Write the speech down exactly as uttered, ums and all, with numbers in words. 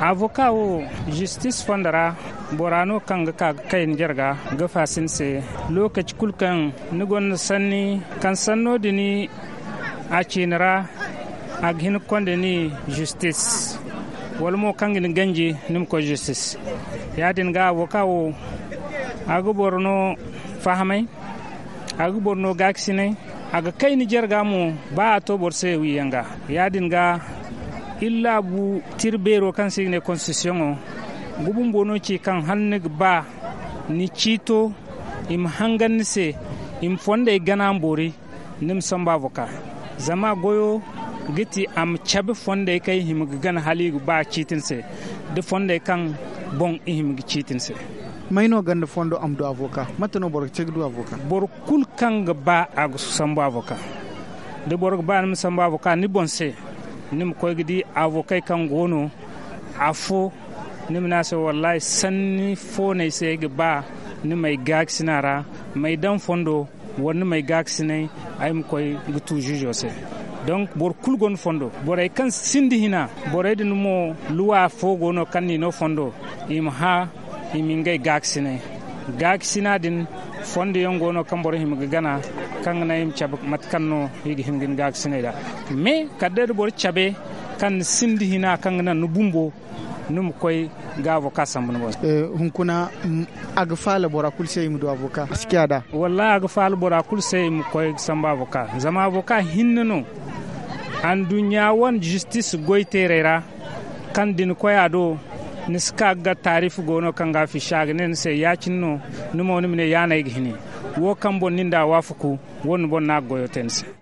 Avoka wo, zistis fondo ra, bora no kaŋ ga ka ga kay ni jarga ga faasi ni se. Lookaci kulu kaŋ ni gonda sanni kaŋ sanno din a ciini ra, a ga hin ga konda ni zistis, wala mo kaŋ ga ni ganji ni ma koy zistis. Ya-din ga avoka wo, a ga boro no fahamay, a ga boro no gaakasinay, a ga kay ni jarga mo. Ba a to boro se wiiyaŋ ga, ya-din ga iri laabu tira beero kaŋ se i ga ne konstitisiyoŋo, nga bumbo no ci kaŋ hala ni ga ba ni ciito i ma hangan ni se, i ma fondey gana ma boori, ni ma sambu avoka. Zama goyo ga ti a ma cabe fondey kaŋ i hima ga gana hala i ga ba ciiti ni se, da fondey kaŋ boŋ i hima ga ciiti ni se. May no gonda fondo a ma du avoka? Mate no boro ga te ga du avoka? Boro kulu kaŋ ga ba a ga sambu avoka. Da boro ga ba ni ma sambu avoka ni boŋ se, ni ma koy ga di avokey kaŋ go no afo, ni ma ne a se, wallahi, sanni fo no ay se ay ga ba ni m'ay gaakasina ra, m'ay daŋ fondo, wala ni m'ay gaakasinay, ay ma koy ga tu ziizo se. Donc, boro kulu gonda fondo. Borey kaŋ sinda hina, borey din mo, luwa fo go no kaŋ n'i no fondo, i ma hã, i ma ngey gaakasinay. Gaakasina din, fondo yaŋ go no kaŋ boro hima ga gana, kaŋ ga naŋ i ma cabe mate kaŋ no i ga hin ga ni gaakasinay nd'a. Mais kala day da boro cabe kaŋ ni sinda hina, kaŋ ga naŋ ni bumbo, ni ma koy ga avoka sambu ni boŋ se. Eh, hunkuna, mm, a ga faala bora kulu se i ma du avoka? A si ciya nd'a? Wallahi, a ga faala bora kulu se i ma koy ga sambu avoka. Zama avoka hinne no anduɲɲa wane zistis goyteerey ra, kaŋ da ni koy a do, ni si ka ga taarif go no kaŋ ga a fiisa, a ga ne ni se, ya-cine no, ni mo ni ma ne, ya no ay ga hini. Wo kaŋ boŋ ni nd'a waafaku, wo-din boŋ no a ga goyo te ni se.